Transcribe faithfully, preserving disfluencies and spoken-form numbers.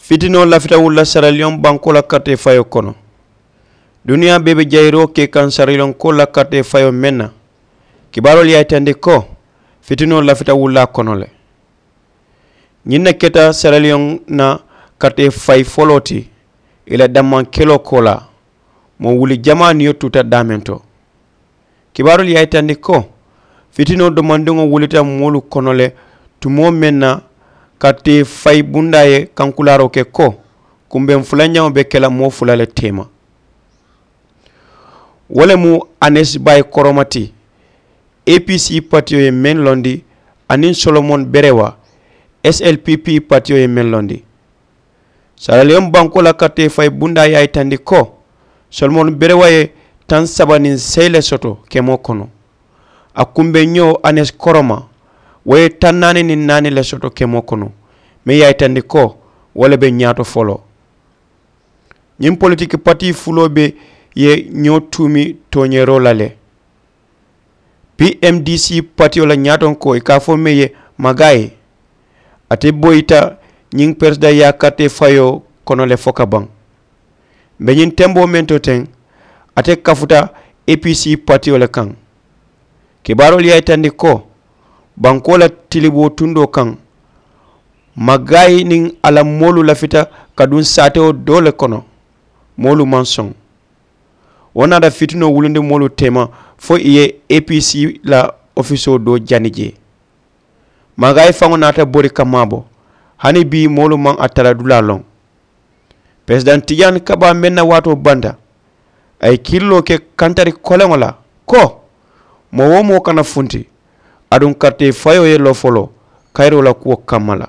Fitinoo lafita wulula saraliyoŋ bankoo la karitee fayoo kono. Duniyaa bee be jayiroo ke kaŋ saraliyoŋ koo la karitee fayoo meŋ na. Kibaaroolu ye a yitandi ko fitinoo lafita wulula a kono le. Ñiŋ ne keta saraliyoŋ na karitee fayi foloo ti i la dammaŋ keloo koolaa. Moo wuli jamaa niyo tuuta daameŋ to. Kibaaroolu ye a yitandi ko fitinoo domandiŋo wulita moolu kono le tumoo meŋ na karitee fayi bundaa ye kankulaaroo ke ko kumbeŋ fulanjaŋo be ke la moo fula le teema. Wo le mu anesi bayi koroma ti. Apc patiyo ye meŋ londi aniŋ solomon berewa slpp patiyo ye meŋ londi. Saraliyoŋ bankoo la karitee fayi bundaa ye a yitandi ko solomon berewa ye taŋ saba niŋ seyi le soto kemoo kono. A kumbeŋ ñoo anesi koroma wo ye taŋ naani niŋ naani le soto kemoo kono. Meŋ ye a yitandi ko wo le be ñaato foloo. Ñiŋ politiki patii fuloo be ye ñoo tuumi tooñeeroo la le. Pmdc patiyo la ñaatonkoo i ka a fo meŋ ye magaayi. Ate boyita ñiŋ peresidaŋ yaakarite fayoo kono le fo ka baŋ. Mbe ñiŋ temboo meŋ to teŋ ate kafuta apc patiyo le kaŋ. Kibaaroolu ye a yitandi ko bankoo la tiliboo tundoo kaŋ magaayi niŋ a la moolu lafita ka duŋ saatewo doo le kono. Moolu maŋ soŋ. Wo naata fitinoo wulundi moolu teema fo i ye apc la ofisoo doo jani jee. Magaayi faŋo naata bori ka maabo hani bii moolu maŋ a tara dulaa loŋ. Peresidaŋ tijaani kabaa meŋ na waatoo banta a ye kiriloo ke kantari koleŋo la ko moo wo moo kana funti aduŋ karitee fayoo ye loo foloo kayiroo la kuwo kamma la.